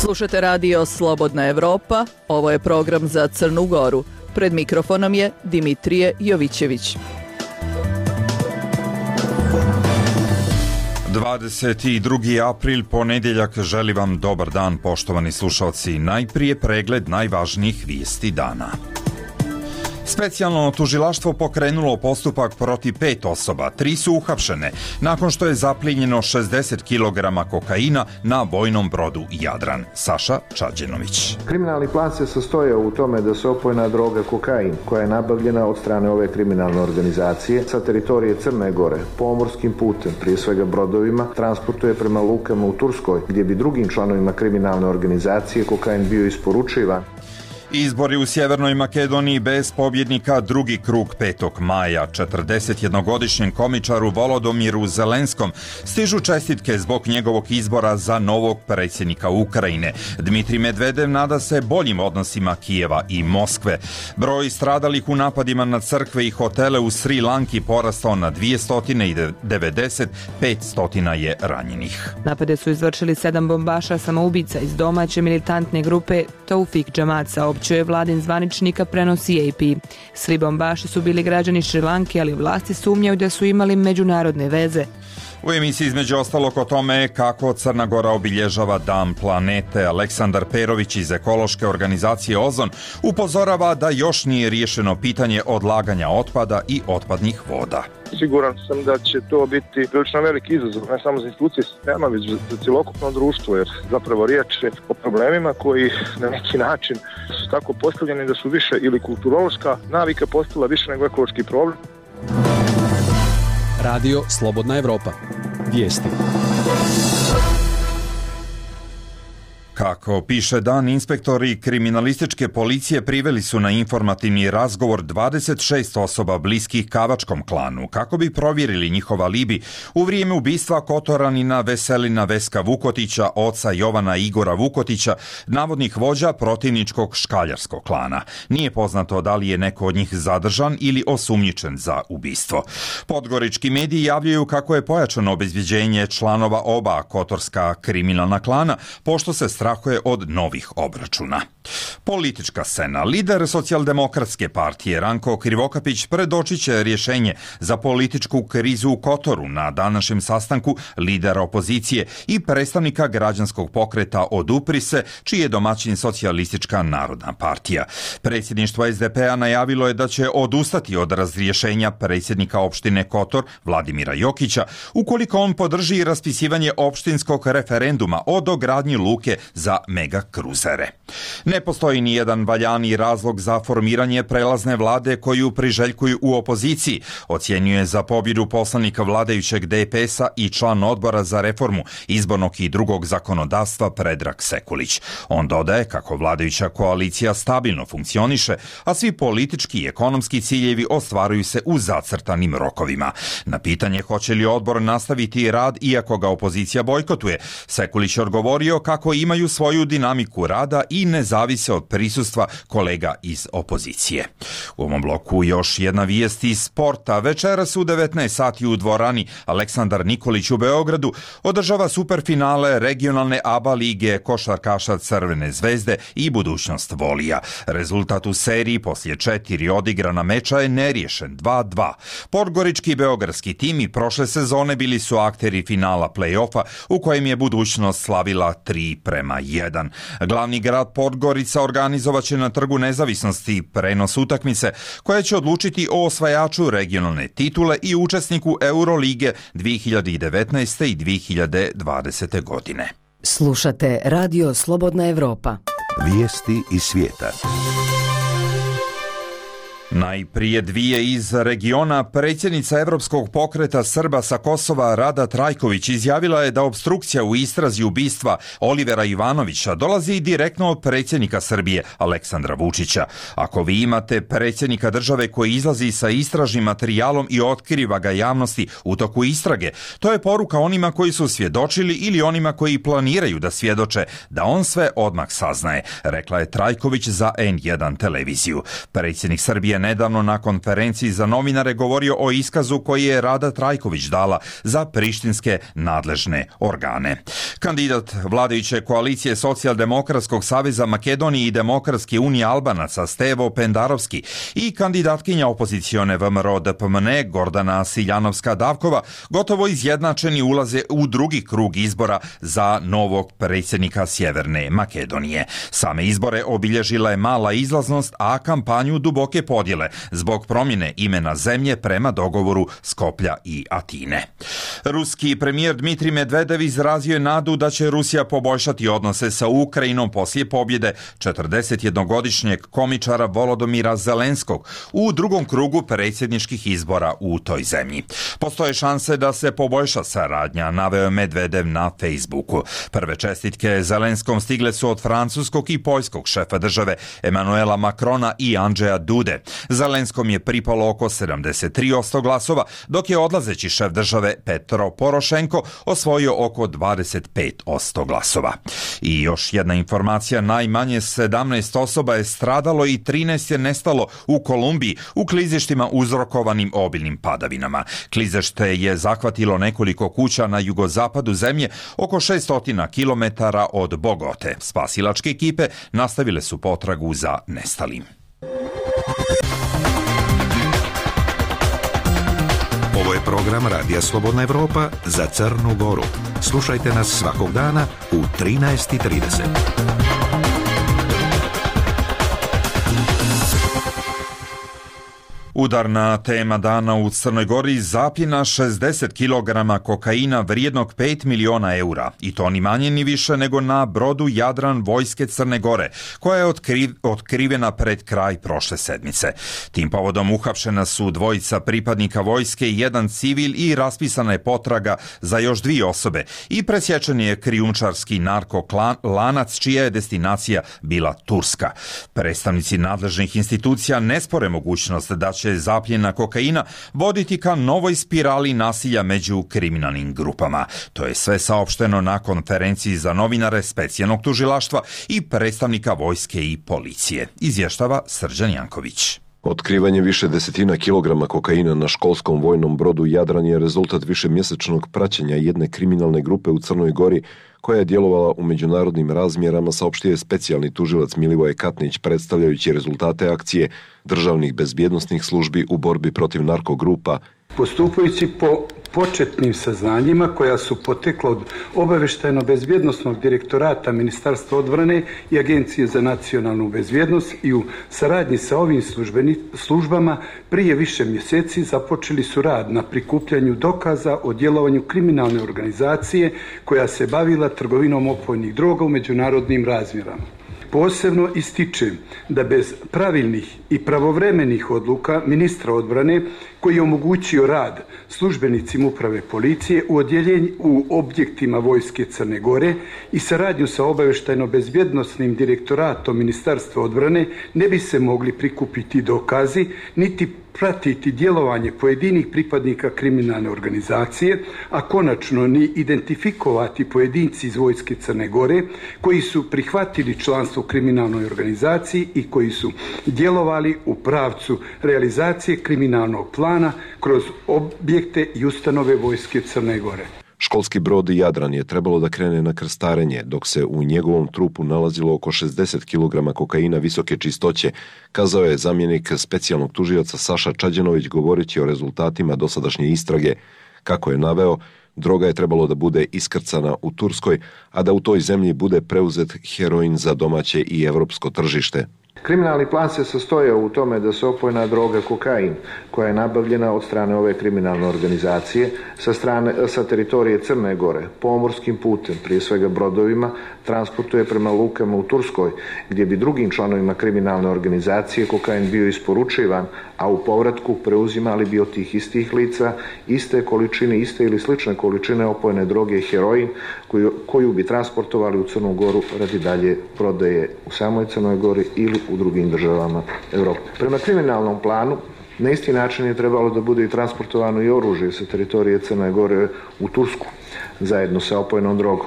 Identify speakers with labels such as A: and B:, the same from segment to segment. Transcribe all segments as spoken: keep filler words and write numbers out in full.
A: Slušate radio Slobodna Evropa, ovo je program za Crnu Goru. Pred mikrofonom je Dimitrije Jovićević.
B: dvadeset drugi april, ponedjeljak, želi vam dobar dan, poštovani slušalci. Najprije pregled najvažnijih vijesti dana. Specijalno tužilaštvo pokrenulo postupak protiv pet osoba, tri su uhapšene, nakon što je zaplijenjeno šezdeset kilograma kokaina na vojnom brodu Jadran. Saša Čađenović.
C: Kriminalni plan se sastoja u tome da se opojna droga kokain, koja je nabavljena od strane ove kriminalne organizacije sa teritorije Crne Gore, pomorskim putem, prije svega brodovima, transportuje prema lukama u Turskoj, gdje bi drugim članovima kriminalne organizacije kokain bio isporučivan.
B: Izbori u Sjevernoj Makedoniji bez pobjednika, drugi krug petog maja. četrdesetjednogodišnjem komičaru Volodomiru Zelenskom stižu čestitke zbog njegovog izbora za novog predsjednika Ukrajine. Dmitrij Medvedev nada se boljim odnosima Kijeva i Moskve. Broj stradalih u napadima na crkve i hotele u Sri Lanki porastao na dvjesto devedeset, petsto je ranjenih.
D: Napade su izvršili sedam bombaša samoubica iz domaće militantne grupe Taufik Džamat, saopćuje vladin zvaničnika, prenosi A P. Svi bombaši su bili građani Šri Lanke, ali vlasti sumnjaju da su imali međunarodne veze.
B: U emisiji između ostalog o tome kako Crna Gora obilježava Dan planete. Aleksandar Perović iz ekološke organizacije Ozon upozorava da još nije riješeno pitanje odlaganja otpada i otpadnih voda.
E: Siguran sam da će to biti prilično veliki izazov, ne samo za institucije sistema, već za cjelokupno društvo, jer zapravo riječ je o problemima koji na neki način su tako postavljeni da su više ili kulturološka navika postala više nego ekološki problem.
F: Radio Slobodna Evropa. Vijesti.
B: Kako piše Dan, inspektori kriminalističke policije priveli su na informativni razgovor dvadeset šest osoba bliskih Kavačkom klanu kako bi provjerili njihov alibi u vrijeme ubistva Kotoranina Veselina Veska Vukotića, oca Jovana Igora Vukotića, navodnih vođa protivničkog škaljarskog klana. Nije poznato da li je neko od njih zadržan ili osumnjičen za ubistvo. Podgorički mediji javljaju kako je pojačano obezbjeđenje članova oba kotorska kriminalna klana, pošto se strahuje od novih obračuna. Politička scena. Lider socijaldemokratske partije Ranko Krivokapić predočit će rješenje za političku krizu u Kotoru na današnjem sastanku lidera opozicije i predstavnika građanskog pokreta Odupri se, čiji je domaćin Socijalistička narodna partija. Predsjedništvo S D P-a najavilo je da će odustati od razrješenja predsjednika opštine Kotor Vladimira Jokića ukoliko on podrži raspisivanje opštinskog referenduma o dogradnji luke za mega kruzere. Ne postoji ni jedan valjani razlog za formiranje prelazne vlade koju priželjkuju u opoziciji, ocjenjuje za pobjedu poslanika vladajućeg D P S-a i član odbora za reformu izbornog i drugog zakonodavstva Predrag Sekulić. On dodaje kako vladajuća koalicija stabilno funkcioniše, a svi politički i ekonomski ciljevi ostvaruju se u zacrtanim rokovima. Na pitanje hoće li odbor nastaviti rad iako ga opozicija bojkotuje, Sekulić je odgovorio kako imaju svoju dinamiku rada i ne zavise od prisustva kolega iz opozicije. U ovom bloku još jedna vijest iz sporta. Večeras u devetnaest sati u dvorani Aleksandar Nikolić u Beogradu održava superfinale regionalne A B A lige košarkaša Crvene zvezde i budućnost Volija. Rezultat u seriji poslije četiri odigrana meča je neriješen dva dva. Podgorički i beogradski tim i prošle sezone bili su akteri finala play-offa u kojem je budućnost slavila tri prema jedan. Glavni grad Podgorica organizovat će na Trgu nezavisnosti prenos utakmice koja će odlučiti o osvajaču regionalne titule i učesniku Eurolige dvije hiljade devetnaeste. i dvije hiljade dvadesete. godine.
G: Slušate Radio Slobodna Evropa.
H: Vijesti iz svijeta.
B: Najprije dvije iz regiona. Predsjednica Evropskog pokreta Srba sa Kosova Rada Trajković izjavila je da opstrukcija u istrazi ubistva Olivera Ivanovića dolazi direktno od predsjednika Srbije Aleksandra Vučića. Ako vi imate predsjednika države koji izlazi sa istražnim materijalom i otkriva ga javnosti u toku istrage, to je poruka onima koji su svjedočili ili onima koji planiraju da svjedoče da on sve odmah saznaje, rekla je Trajković za N jedan televiziju. Predsjednik Srbije nedavno na konferenciji za novinare govorio o iskazu koji je Rada Trajković dala za prištinske nadležne organe. Kandidat vladajuće koalicije Socijaldemokratskog saveza Makedonije i Demokratske unije Albanaca Stevo Pendarovski i kandidatkinja opozicione V M R O D P M N E Gordana Siljanovska-Davkova gotovo izjednačeni ulaze u drugi krug izbora za novog predsjednika Sjeverne Makedonije. Same izbore obilježila je mala izlaznost, a kampanju duboke podjele zbog promjene imena zemlje prema dogovoru Skoplja i Atine. Ruski premijer Dmitrij Medvedev izrazio je nadu da će Rusija poboljšati odnose sa Ukrajinom poslije pobjede četrdesetjednogodišnjeg komičara Volodomira Zelenskog u drugom krugu predsjedničkih izbora u toj zemlji. Postoje šanse da se poboljša saradnja, naveo je Medvedev na Facebooku. Prve čestitke Zelenskom stigle su od francuskog i poljskog šefa države Emanuela Macrona i Andžeja Dude. Zelenskom je pripalo oko sedamdeset tri posto glasova, dok je odlazeći šef države Petro Porošenko osvojio oko dvadeset pet posto glasova. I još jedna informacija, najmanje sedamnaest osoba je stradalo i trinaest je nestalo u Kolumbiji u klizištima uzrokovanim obilnim padavinama. Klizište je zahvatilo nekoliko kuća na jugozapadu zemlje oko šesto kilometara od Bogote. Spasilačke ekipe nastavile su potragu za nestalim.
H: Ovo je program Radija Slobodna Evropa za Crnu Goru. Slušajte nas svakog dana u trinaest i trideset.
B: Udarna tema dana u Crnoj Gori: zapljena šezdeset kilograma kokaina vrijednog pet miliona eura, i to ni manje ni više nego na brodu Jadran vojske Crne Gore, koja je otkriv, otkrivena pred kraj prošle sedmice. Tim povodom uhapšena su dvojica pripadnika vojske i jedan civil i raspisana je potraga za još dvije osobe i presječen je krijumčarski narkolanac čija je destinacija bila Turska. Predstavnici nadležnih institucija ne spore mogućnost da će zapljena kokaina voditi ka novoj spirali nasilja među kriminalnim grupama. To je sve saopšteno na konferenciji za novinare specijalnog tužilaštva i predstavnika vojske i policije. Izvještava Srđan Janković.
I: Otkrivanje više desetina kilograma kokaina na školskom vojnom brodu Jadran je rezultat višemjesečnog praćenja jedne kriminalne grupe u Crnoj Gori koja je djelovala u međunarodnim razmjerama, saopštio je specijalni tužilac Milivoje Katnić predstavljajući rezultate akcije državnih bezbjednosnih službi u borbi protiv narkogrupa.
J: Postupajući po početnim saznanjima koja su potekla od obavještajno-bezbjednosnog direktorata Ministarstva odbrane i Agencije za nacionalnu bezbjednost i u saradnji sa ovim službeni, službama prije više mjeseci započeli su rad na prikupljanju dokaza o djelovanju kriminalne organizacije koja se bavila trgovinom opojnih droga u međunarodnim razmjerama. Posebno ističem da bez pravilnih i pravovremenih odluka ministra odbrane, koji je omogućio rad službenicima uprave policije u odjeljenju u objektima vojske Crne Gore i saradnju sa obavještajno-bezbjednosnim direktoratom Ministarstva odbrane, ne bi se mogli prikupiti dokazi niti pratiti djelovanje pojedinih pripadnika kriminalne organizacije, a konačno ni identifikovati pojedinci iz vojske Crne Gore koji su prihvatili članstvo u kriminalnoj organizaciji i koji su djelovali u pravcu realizacije kriminalnog plana kroz objekte i ustanove vojske Crne Gore.
I: Školski brod Jadran je trebalo da krene na krstarenje, dok se u njegovom trupu nalazilo oko šezdeset kilograma kokaina visoke čistoće, kazao je zamjenik specijalnog tužioca Saša Čađanović govoreći o rezultatima dosadašnje istrage. Kako je naveo, droga je trebalo da bude iskrcana u Turskoj, a da u toj zemlji bude preuzet heroin za domaće i evropsko tržište.
C: Kriminalni plan se sastoje u tome da se opojna droga kokain, koja je nabavljena od strane ove kriminalne organizacije sa, strane, sa teritorije Crne Gore, pomorskim putem, prije svega brodovima, transportuje prema lukama u Turskoj, gdje bi drugim članovima kriminalne organizacije kokain bio isporučivan, a u povratku preuzimali bi od tih istih lica iste količine, iste ili slične količine opojne droge heroin, koju, koju bi transportovali u Crnu Goru radi dalje prodaje u samoj Crnoj Gori ili u drugim državama Europe. Prema kriminalnom planu, na isti način je trebalo da bude i transportovano i oružje sa teritorije Crne Gore u Tursku, zajedno sa opojnom drogom.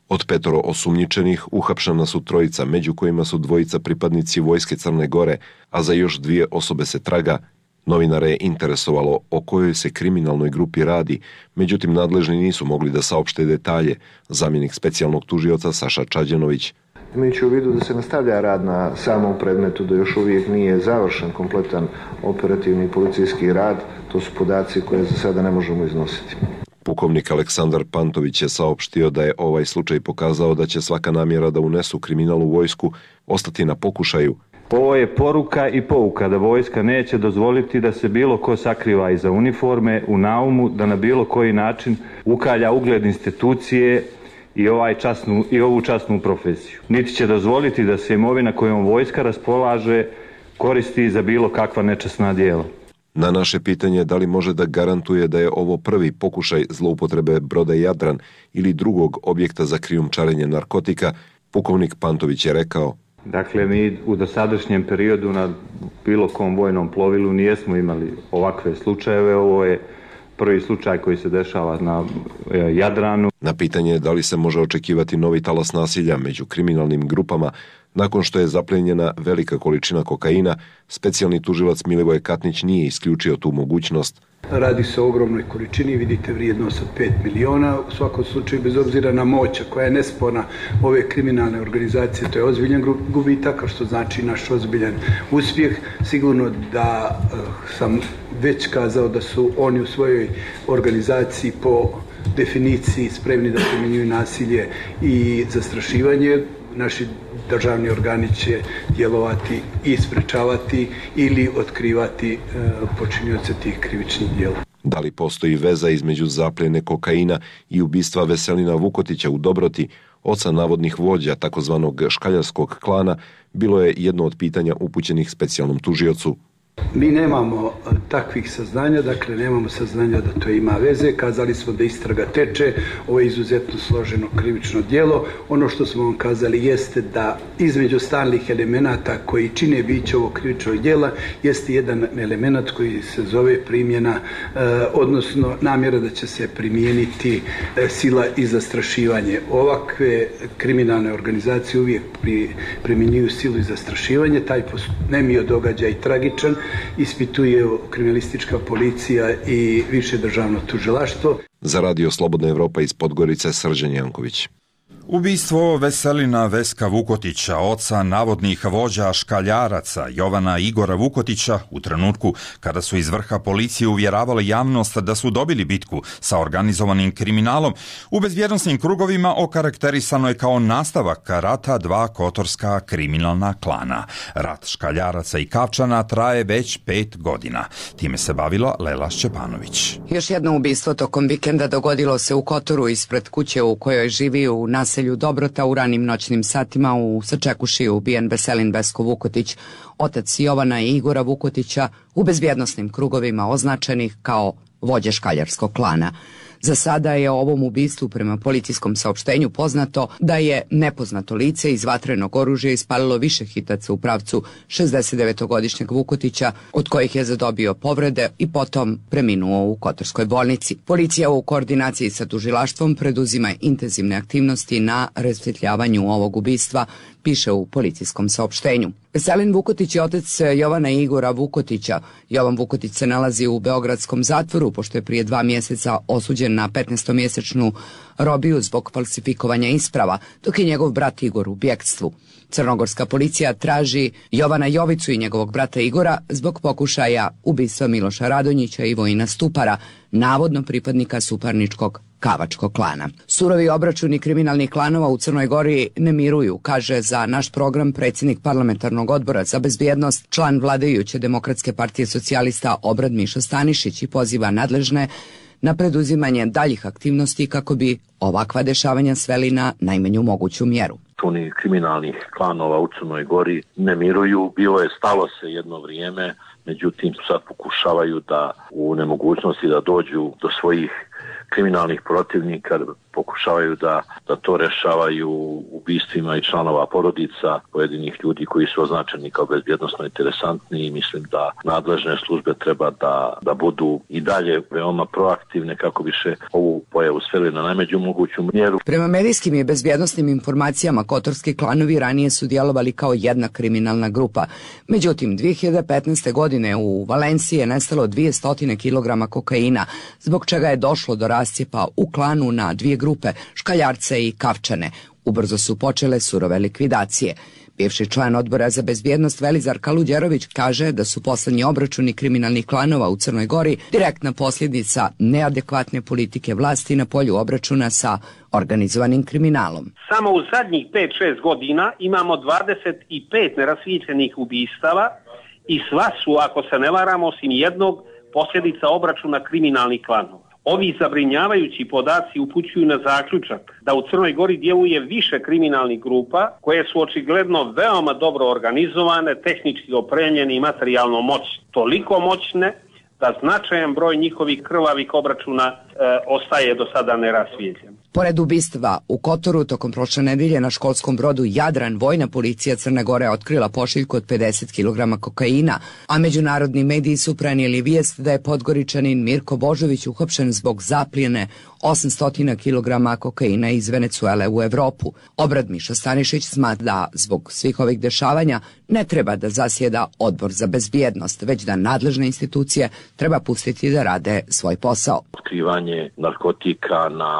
I: Od petoro osumnjičenih uhapšena su trojica, među kojima su dvojica pripadnici Vojske Crne Gore, a za još dvije osobe se traga. Novinare je interesovalo o kojoj se kriminalnoj grupi radi, međutim nadležni nisu mogli da saopšte detalje. Zamjenik specijalnog tužioca Saša Čađenović.
C: Imajući u vidu da se nastavlja rad na samom predmetu, da još uvijek nije završen kompletan operativni policijski rad, to su podaci koje za sada ne možemo iznositi.
I: Pukovnik Aleksandar Pantović je saopštio da je ovaj slučaj pokazao da će svaka namjera da unesu kriminal u vojsku ostati na pokušaju.
K: Ovo je poruka i pouka da vojska neće dozvoliti da se bilo ko sakriva iza uniforme u naumu, da na bilo koji način ukalja ugled institucije i, ovaj časnu, i ovu časnu profesiju. Niti će dozvoliti da se imovina kojom vojska raspolaže koristi za bilo kakva nečasna djela.
I: Na naše pitanje da li može da garantuje da je ovo prvi pokušaj zloupotrebe broda Jadran ili drugog objekta za krijumčarenje narkotika, pukovnik Pantović je rekao:
K: Dakle, mi u dosadašnjem periodu na bilo kom vojnom plovilu nijesmo imali ovakve slučajeve. Ovo je prvi slučaj koji se dešava na Jadranu.
I: Na pitanje da li se može očekivati novi talas nasilja među kriminalnim grupama nakon što je zaplenjena velika količina kokaina, specijalni tužilac Milivoj Katnić nije isključio tu mogućnost.
J: Radi se o ogromnoj količini, vidite vrijednost od pet miliona, u svakom slučaju bez obzira na moć koja je nesporna ove kriminalne organizacije, to je ozbiljan gubitak, što znači naš ozbiljan uspjeh. Sigurno da uh, sam već kazao da su oni u svojoj organizaciji po definiciji spremni da primjenjuju nasilje i zastrašivanje. Naši državni organi će djelovati i sprečavati ili otkrivati e, počinioce tih krivičnih djela.
I: Da li postoji veza između zapljene kokaina i ubistva Veselina Vukotića u Dobroti, oca navodnih vođa takozvanog škaljarskog klana, bilo je jedno od pitanja upućenih specijalnom tužiocu.
J: Mi nemamo takvih saznanja, dakle nemamo saznanja da to ima veze. Kazali smo da istraga teče, ovo je izuzetno složeno krivično djelo. Ono što smo vam kazali jeste da između stalnih elemenata koji čine biće ovog krivičnog djela jeste jedan element koji se zove primjena, eh, odnosno namjera da će se primijeniti eh, sila i zastrašivanje. Ovakve kriminalne organizacije uvijek pri, primjenjuju silu i zastrašivanje. Taj nemio događaj tragičan ispituje kriminalistička policija i više državno tužilaštvo.
I: Za Radio Slobodna Evropa iz Podgorice, Srđan Janković.
B: Ubistvo Veselina Veska Vukotića, oca navodnih vođa škaljaraca Jovana Igora Vukotića, u trenutku kada su iz vrha policije uvjeravali javnost da su dobili bitku sa organizovanim kriminalom, u bezbjednosnim krugovima okarakterisano je kao nastavak rata dva kotorska kriminalna klana. Rat škaljaraca i Kavčana traje već pet godina. Time se bavila Lela Šćepanović.
L: Još jedno ubistvo tokom vikenda dogodilo se u Kotoru ispred kuće u kojoj živi u naselju Dobrota. U ranim noćnim satima u Sačekuši ubijen Veselin Vesko Vukotić, otac Jovana i Igora Vukotića, u bezbjednosnim krugovima označenih kao vođe škaljarskog klana. Za sada je o ovom ubistvu prema policijskom saopštenju poznato da je nepoznato lice iz vatrenog oružja ispalilo više hitaca u pravcu šezdesetdevetogodišnjeg Vukotića, od kojih je zadobio povrede i potom preminuo u Kotorskoj bolnici. Policija u koordinaciji sa tužilaštvom preduzima intenzivne aktivnosti na rasvjetljavanju ovog ubistva, piše u policijskom saopštenju. Veselin Vukotić je otac Jovana i Igora Vukotića. Jovan Vukotić se nalazi u beogradskom zatvoru pošto je prije dva mjeseca osuđen na petnaestomjesečnu robiju zbog falsifikovanja isprava, dok je njegov brat Igor u bjekstvu. Crnogorska policija traži Jovana Jovicu i njegovog brata Igora zbog pokušaja ubistva Miloša Radonjića i Vojina Stupara, navodno pripadnika suparničkog Kavačkog klana. Surovi obračuni kriminalnih klanova u Crnoj Gori ne miruju, kaže za naš program predsjednik parlamentarnog odbora za bezbjednost, član vladajuće Demokratske partije socijalista Obrad Mišo Stanišić, i poziva nadležne na preduzimanje daljih aktivnosti kako bi ovakva dešavanja sveli na najmanju moguću mjeru.
M: Oni kriminalnih klanova u Crnoj Gori ne miruju, bilo je stalo se jedno vrijeme, međutim sad pokušavaju da u nemogućnosti da dođu do svojih kriminalnih protivnika, pokušavaju da, da to rešavaju ubistvima i članova porodica pojedinih ljudi koji su označeni kao bezbjednosno interesantni i mislim da nadležne službe treba da, da budu i dalje veoma proaktivne kako bi se ovu pojavu sveli na najmeđu moguću mjeru.
L: Prema medijskim i bezbjednosnim informacijama, kotorski klanovi ranije su djelovali kao jedna kriminalna grupa. Međutim, dvije hiljade petnaeste. godine u Valenciji je nestalo dvjesto kilograma kokaina, zbog čega je došlo do rascijepa u klanu na dvije grupe, škaljarce i kavčane. Ubrzo su počele surove likvidacije. Bivši član odbora za bezbjednost Velizar Kaludjerović kaže da su poslednji obračuni kriminalnih klanova u Crnoj Gori direktna posljedica neadekvatne politike vlasti na polju obračuna sa organizovanim kriminalom.
N: Samo u zadnjih pet šest godina imamo dvadeset pet nerasvijetljenih ubistava i sva su, ako se ne varamo, osim jednog, posljedica obračuna kriminalnih klanova. Ovi zabrinjavajući podaci upućuju na zaključak da u Crnoj Gori djeluje više kriminalnih grupa koje su očigledno veoma dobro organizovane, tehnički opremljene i materijalno moćne. Toliko moćne da značajan broj njihovih krvavih obračuna e, ostaje do sada nerasvijetljen.
L: Pored ubistva u Kotoru, tokom prošle nedelje na školskom brodu Jadran, vojna policija Crne Gore otkrila pošiljku od pedeset kilograma kokaina, a međunarodni mediji su prenijeli vijest da je Podgoričanin Mirko Božović uhapšen zbog zaplijene osamsto kilograma kokaina iz Venecuele u Evropu. Obrad Miša Stanišić smatra da zbog svih ovih dešavanja ne treba da zasjeda odbor za bezbjednost, već da nadležne institucije treba pustiti da rade svoj posao.
M: Otkrivanje narkotika na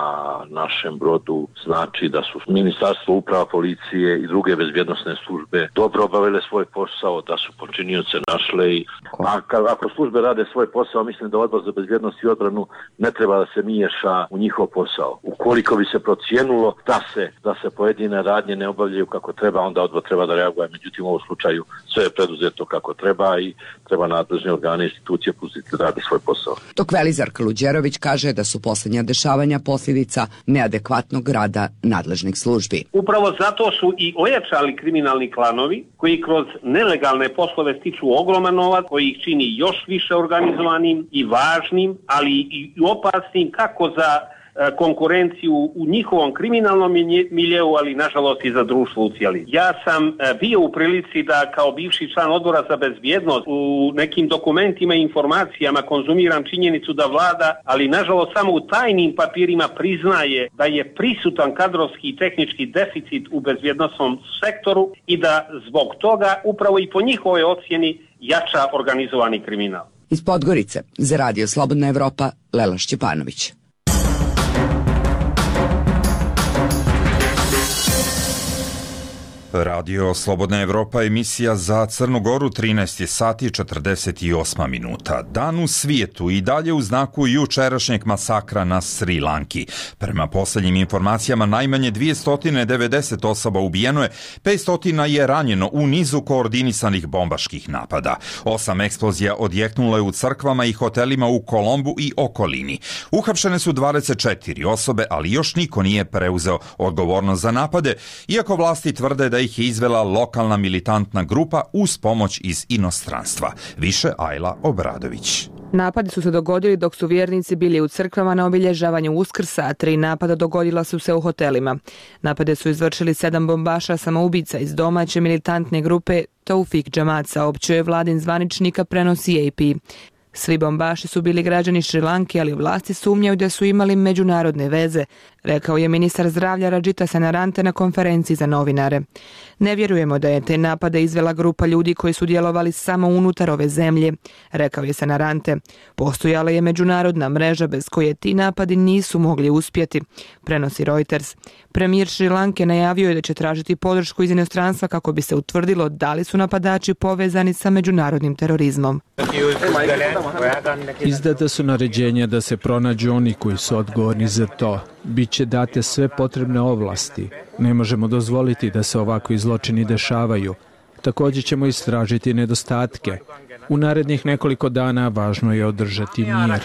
M: našem brodu znači da su Ministarstvo uprava, policije i druge bezbjednosne službe dobro obavile svoj posao, da su počinioce našle i a, ako službe rade svoj posao, mislim da odbor za bezbjednost i odbranu ne treba da se miješa u njihov posao. Ukoliko bi se procijenilo da se, da se pojedine radnje ne obavljaju kako treba, onda odbor treba da reaguje. Međutim, u ovom slučaju sve je preduzeto kako treba i treba nadležne organe i institucije pustiti da rade svoj posao.
L: Dok Velizar Kaludjerović kaže da su posljednja dešavanja posljedica neadekvatnog rada nadležnih službi.
N: Upravo zato su i ojačali kriminalni klanovi koji kroz nelegalne poslove stiču ogroman novac, koji ih čini još više organizovanim i važnim, ali i opasnim kako za konkurenciju u njihovom kriminalnom miljeu, ali nažalost i za društvo u cijeli. Ja sam bio u prilici da kao bivši član odbora za bezbjednost u nekim dokumentima i informacijama konzumiram činjenicu da vlada, ali nažalost samo u tajnim papirima priznaje da je prisutan kadrovski i tehnički deficit u bezbjednosnom sektoru i da zbog toga upravo i po njihovoj ocjeni jača organizovani kriminal.
L: Iz Podgorice za Radio Slobodna Evropa, Lela Šćepanović.
B: Radio Slobodna Evropa, emisija za Crnu Goru, trinaest sati četrdeset osam minuta. Dan u svijetu i dalje u znaku jučerašnjeg masakra na Sri Lanki. Prema posljednjim informacijama najmanje dvjesto devedeset osoba ubijeno je, petsto je ranjeno u nizu koordinisanih bombaških napada. Osam eksplozija odjeknulo je u crkvama i hotelima u Kolombu i okolini. Uhapšene su dvadeset četiri osobe, ali još niko nije preuzeo odgovornost za napade, iako vlasti tvrde da ih je izvela lokalna militantna grupa uz pomoć iz inostranstva. Više Ajla Obradović.
D: Napadi su se dogodili dok su vjernici bili u crkvama na obilježavanju Uskrsa, a tri napada dogodila su se u hotelima. Napade su izvršili sedam bombaša samoubica iz domaće militantne grupe Taufik Džamat, saopćuje vladin zvaničnika, prenosi A P. Svi bombaši su bili građani Šri Lanke, ali vlasti sumnjaju da su imali međunarodne veze, rekao je ministar zdravlja Rajita Senarante na konferenciji za novinare. Ne vjerujemo da je te napade izvela grupa ljudi koji su djelovali samo unutar ove zemlje, rekao je Senarante. Postojala je međunarodna mreža bez koje ti napadi nisu mogli uspjeti, prenosi Reuters. Premijer Šri Lanke najavio je da će tražiti podršku iz inostranstva kako bi se utvrdilo da li su napadači povezani sa međunarodnim terorizmom.
O: Izdata su naređenja da se pronađu oni koji su odgovorni za to. Biće date sve potrebne ovlasti. Ne možemo dozvoliti da se ovakvi zločini dešavaju. Također ćemo istražiti nedostatke. U narednih nekoliko dana važno je održati mir.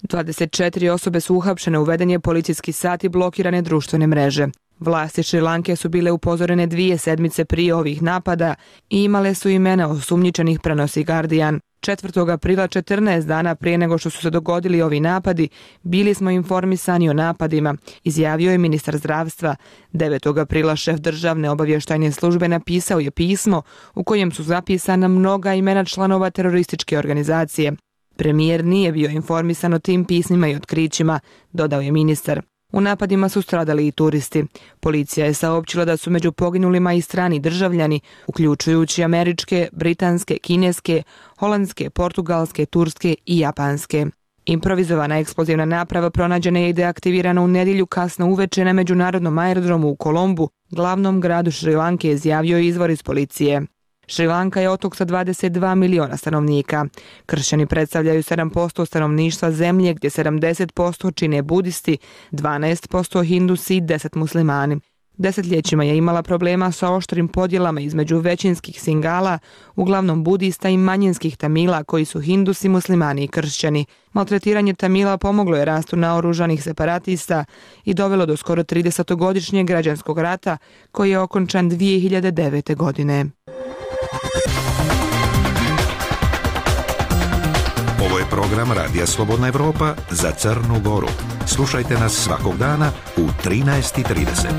D: dvadeset četiri osobe su uhapšene, uveden je policijski sat i blokirane društvene mreže. Vlasti Šri Lanke su bile upozorene dvije sedmice prije ovih napada i imale su imena osumnjičenih, prenosi Guardian. četvrtog aprila, četrnaest dana prije nego što su se dogodili ovi napadi, bili smo informisani o napadima, izjavio je ministar zdravstva. devetog aprila šef državne obavještajne službe napisao je pismo u kojem su zapisana mnoga imena članova terorističke organizacije. Premijer nije bio informisan o tim pismima i otkrićima, dodao je ministar. U napadima su stradali i turisti. Policija je saopćila da su među poginulima i strani državljani, uključujući američke, britanske, kineske, holandske, portugalske, turske i japanske. Improvizovana eksplozivna naprava pronađena je i deaktivirana u nedjelju kasno uveče na međunarodnom aerodromu u Kolombu, glavnom gradu Šrilanke, izjavio je izvor iz policije. Šrilanka je otok sa dvadeset dva miliona stanovnika. Kršćani predstavljaju sedam posto stanovništva zemlje, gdje sedamdeset posto čine budisti, dvanaest posto hindusi i deset muslimani. Desetljećima je imala problema sa oštrim podjelama između većinskih Singala, uglavnom budista, i manjinskih Tamila, koji su hindusi, muslimani i kršćani. Maltretiranje Tamila pomoglo je rastu naoružanih separatista i dovelo do skoro tridesetogodišnjeg građanskog rata, koji je okončan dvije hiljade devete. godine.
H: Ovo je program Radija Slobodna Evropa za Crnu Goru. Slušajte nas svakog dana u trinaest i trideset.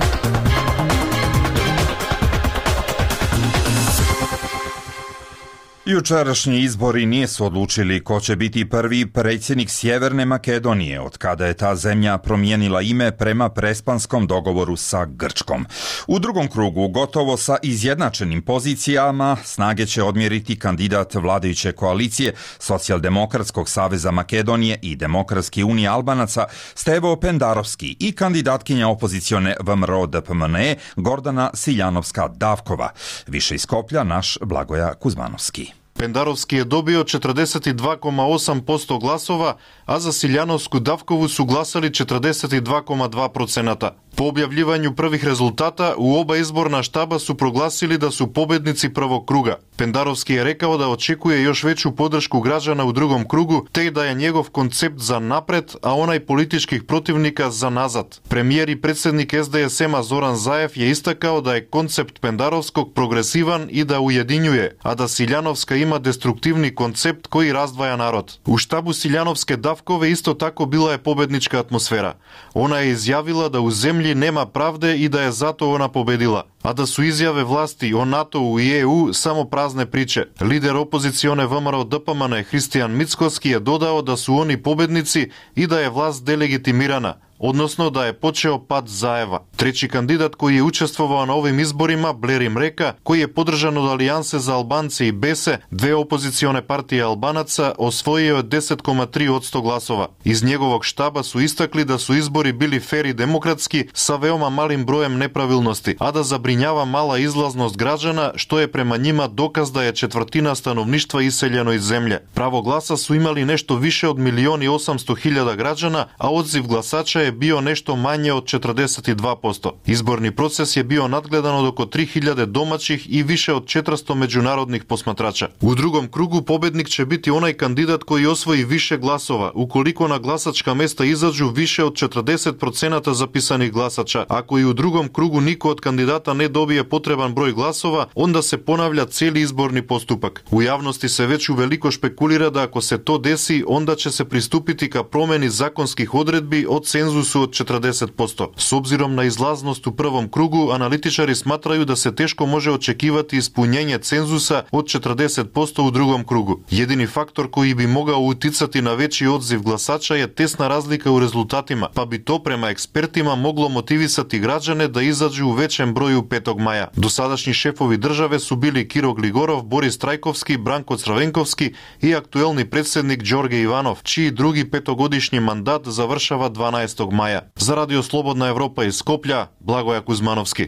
B: Jučerašnji izbori nisu odlučili ko će biti prvi predsjednik Sjeverne Makedonije, od kada je ta zemlja promijenila ime prema prespanskom dogovoru sa Grčkom. U drugom krugu, gotovo sa izjednačenim pozicijama, snage će odmjeriti kandidat vladajuće koalicije Socijaldemokratskog saveza Makedonije i Demokratske unije Albanaca Stevo Pendarovski i kandidatkinja opozicione V M R O D P M N E Gordana Siljanovska-Davkova. Više iz Skoplja naš Blagoja Kuzmanovski.
P: Pendarovski je dobio četrdeset dva zarez osam posto glasova, a za Siljanovsku Davkovu su glasali četrdeset dva zarez dva procenta. Po objavljivanju prvih rezultata, u oba izborna štaba su proglasili da su pobjednici prvog kruga. Pendarovski je rekao da očekuje još veću podršku građana u drugom krugu, te da je njegov koncept za napred, a onaj političkih protivnika za nazad. Premijer i predsjednik S D S M-a Zoran Zaev je istakao da je koncept Pendarovskog progresivan i da ujedinjuje, a da Siljanovska ima destruktivni koncept koji razdvaja narod. U štabu Siljanovske Davkove isto tako bila je pobjednička atmosfera. Ona je izjavila da u zemlji nema pravde i da je zato ona pobedila, a da su izjave vlasti o NATO-u i E U samo prazne priče. Lider opozicione V M R O D P M N E Hristijan Mickoski je dodao da su oni pobednici i da je vlast delegitimirana, odnosno da je počeo pad Zaeva. Treći kandidat koji je učestvovao na ovim izborima, Blerim Mreka, koji je podržan od Alijanse za Albance i Bese, dve opozicione partije Albanaca, osvojio je deset zarez tri posto glasova. Iz njegovog štaba su istakli da su izbori bili fer i demokratski sa veoma malim brojem nepravilnosti, a da zabrinjava mala izlaznost građana, što je prema njima dokaz da je četvrtina stanovništva iseljeno iz zemlje. Pravo glasa su imali nešto više od milion i osamsto hiljada građana, a odziv glasača je bio nešto manje od četrdeset dva posto. Izborni proces je bio nadgledan od oko tri hiljade domaćih i više od četiristo međunarodnih posmatrača. U drugom krugu pobednik će biti onaj kandidat koji osvoji više glasova, ukoliko na glasačka mesta izađu više od četrdeset procenata zapisanih glasača. Ako i u drugom krugu niko od kandidata ne dobije potreban broj glasova, onda se ponavlja cijeli izborni postupak. U javnosti se već uveliko špekulira da ako se to desi, onda će se pristupiti ka promjeni zakonskih odredbi od cenzusu od četrdeset posto. S obzirom na izlaznost u prvom krugu, analitičari smatraju da se teško može očekivati ispunjenje cenzusa od četrdeset posto u drugom krugu. Jedini faktor koji bi mogao uticati na veći odziv glasača je tesna razlika u rezultatima, pa bi to prema ekspertima moglo motivisati građane da izađu u većem broju petog maja. Dosadašnji šefovi države su bili Kiro Gligorov, Boris Trajkovski, Branko Crvenkovski i aktuelni predsjednik Đorđe Ivanov, čiji drugi petogodišnji mandat završava dvanaestog maja. Za Radio Slobodna Evropa iz Skoplja, Blagoja Kuzmanovski.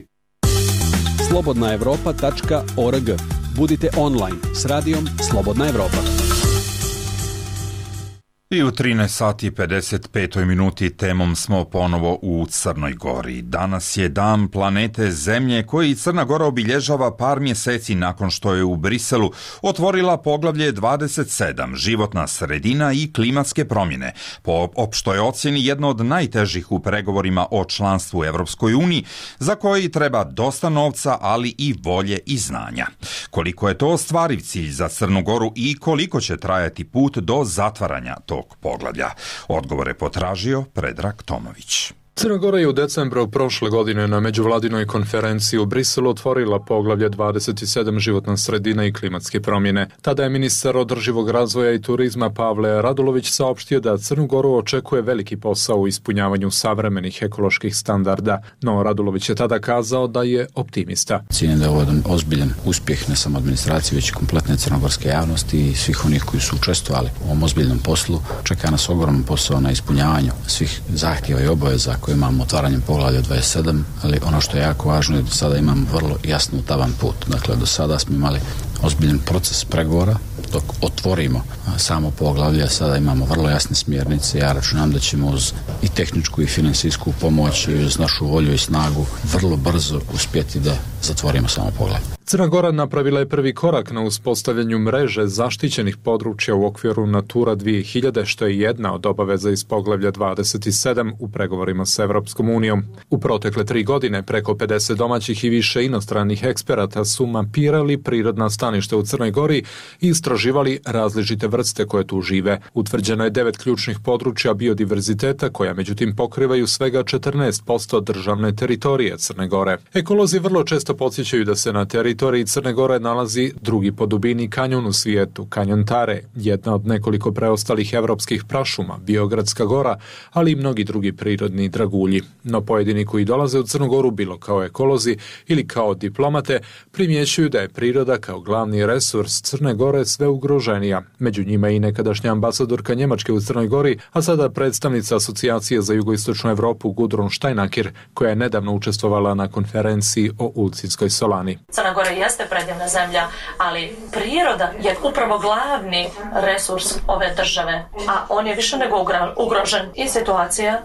F: slobodna evropa tačka org. Budite online s radijom Slobodna Evropa.
B: I u trinaest sati i pedeset pet minuti temom smo ponovo u Crnoj Gori. Danas je dan planete Zemlje koji Crna Gora obilježava par mjeseci nakon što je u Briselu otvorila poglavlje dvadeset sedam životna sredina i klimatske promjene. Po opštoj ocjeni jedno od najtežih u pregovorima o članstvu u Europskoj uniji, za koji treba dosta novca, ali i volje i znanja. Koliko je to ostvariv cilj za Crnu Goru i koliko će trajati put do zatvaranja tog poglavlja? Odgovor je potražio Predrag Tomović.
Q: Crna Gora je u decembru prošle godine na međuvladinoj konferenciji u Briselu otvorila poglavlje dvadeset sedam životna sredina i klimatske promjene. Tada je ministar održivog razvoja i turizma Pavle Radulović saopštio da Crnu Goru očekuje veliki posao u ispunjavanju savremenih ekoloških standarda. No Radulović je tada kazao da je optimista.
R: Cijenim da je ovo jedan ozbiljan uspjeh ne samo administracije, već i kompletne crnogorske javnosti i svih onih koji su učestvovali u ovom ozbiljnom poslu. Čeka nas ogroman posao na ispunjavanju svih zahtjeva i obaveza koje imamo otvaranjem poglavlja dvadeset sedam, ali ono što je jako važno je da sada imamo vrlo jasno utaban put. Dakle, do sada smo imali ozbiljan proces pregovora, dok otvorimo samo poglavlje, sada imamo vrlo jasne smjernice. Ja računam da ćemo uz i tehničku i financijsku pomoć i uz našu volju i snagu vrlo brzo uspjeti da zatvorimo samo poglavlje.
Q: Crna Gora napravila je prvi korak na uspostavljanju mreže zaštićenih područja u okviru Natura dvije hiljade, što je jedna od obaveza iz poglavlja dvadeset sedam u pregovorima s Evropskom unijom. U protekle tri godine preko pedeset domaćih i više inostranih eksperata su mapirali prirodna staništa u Crnoj Gori i istraživali različite vrste koje tu žive. Utvrđeno je devet ključnih područja biodiverziteta koja međutim pokrivaju svega četrnaest posto državne teritorije Crne Gore. Ekolozi vrlo često podsjećaju da se na teritoriji teritoriji Crne Gore nalazi drugi po dubini kanjon u svijetu, kanjon Tare, jedna od nekoliko preostalih evropskih prašuma, Biogradska gora, ali i mnogi drugi prirodni dragulji. No pojedini koji dolaze u Crnu Goru, bilo kao ekolozi ili kao diplomate, primjećuju da je priroda kao glavni resurs Crne Gore sve ugroženija. Među njima i nekadašnja ambasadorka Njemačke u Crnoj Gori, a sada predstavnica Asocijacije za jugoistočnu Evropu Gudrun Steinakir, koja je nedavno učestvovala na konferenciji o Ulcinskoj solani.
S: Crna Gora jeste predivna zemlja, ali priroda je upravo glavni resurs ove države, a on je više nego ugrožen i situacija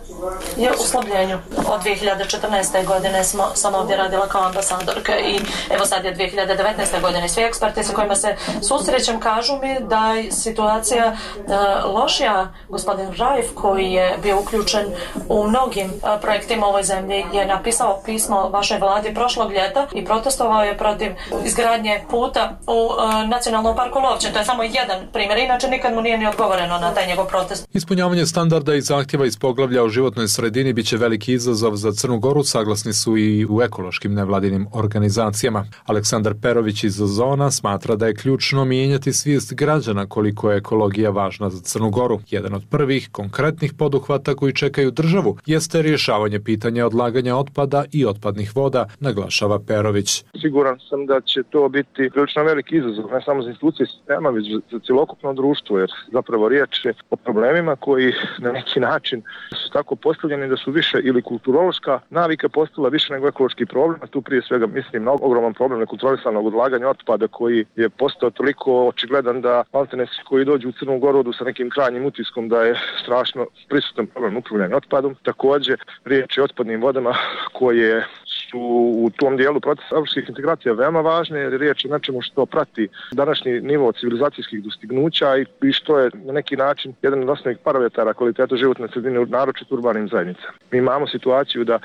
S: je u slabljenju. Od dvije hiljade četrnaeste. godine smo, sam ovdje radila kao ambasadorka i evo sad je dvije hiljade devetnaeste. godine. Svi eksperti sa kojima se susrećem kažu mi da je situacija uh, lošija. Gospodin Rajf, koji je bio uključen u mnogim uh, projektima u ovoj zemlji, je napisao pismo vašoj vladi prošlog ljeta i protestovao je protiv izgradnje puta u uh, Nacionalnom parku Lovćen. To je samo jedan primjer, inače nikad mu nije ni odgovoreno na taj njegov protest.
Q: Ispunjavanje standarda i zahtjeva iz poglavlja o životnoj sredini biće veliki izazov za Crnu Goru, saglasni su i u ekološkim nevladinim organizacijama. Aleksandar Perović iz Ozona smatra da je ključno mijenjati svijest građana koliko je ekologija važna za Crnu Goru. Jedan od prvih konkretnih poduhvata koji čekaju državu jeste rješavanje pitanja odlaganja otpada i otpadnih voda, naglašava Perović.
E: Siguran sam da će to biti prilično veliki izazov, ne samo za institucije sistema, već za cjelokupno društvo, jer zapravo riječ je o problemima koji na neki način su tako postavljeni da su više ili kulturološka navika postala više nego ekološki problem, a tu prije svega mislim na ogroman problem nekontrolisanog odlaganja otpada koji je postao toliko očigledan da maltene svi koji dođu u Crnu Goru odu sa nekim krajnjim utiskom da je strašno prisutan problem upravljanja otpadom. Također riječ je o otpadnim vodama koje su u tom dijelu procesa evropskih integracija veoma važne, jer je riječ o nečemu što prati današnji nivo civilizacijskih dostignuća i što je na neki način jedan od osnovnih parametara kvaliteta životne sredine, naročito urbanim zajednicama. Mi imamo situaciju da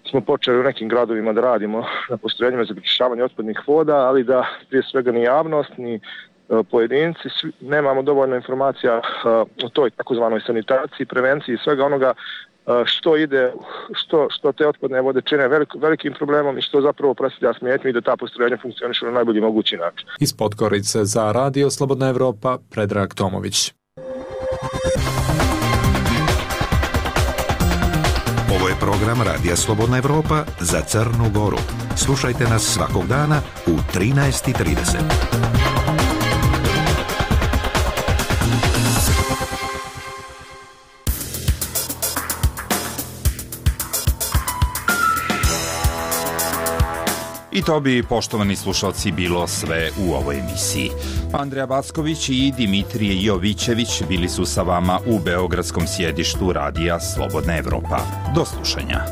E: smo počeli u nekim gradovima da radimo na postrojenjima za pročišćavanje otpadnih voda, ali da prije svega ni javnost, ni pojedinci, svi, nemamo dovoljno informacija o toj takozvanoj sanitaciji, prevenciji i svega onoga što ide, što, što te otpadne vode čine velik, velikim problemom i što zapravo predstavlja smetnju i da ta postrojenja funkcionišu na najbolji mogući način.
Q: Iz Podgorice za Radio Slobodna Evropa, Predrag Tomović.
H: Ovo je program Radija Slobodna Evropa za Crnu Goru. Slušajte nas svakog dana u trinaest i trideset.
B: I I to bi, poštovani slušalci, bilo sve u ovoj emisiji. Andreja Backović i Dimitrije Jovićević bili su sa vama u beogradskom sjedištu Radija Slobodna Evropa. Do slušanja.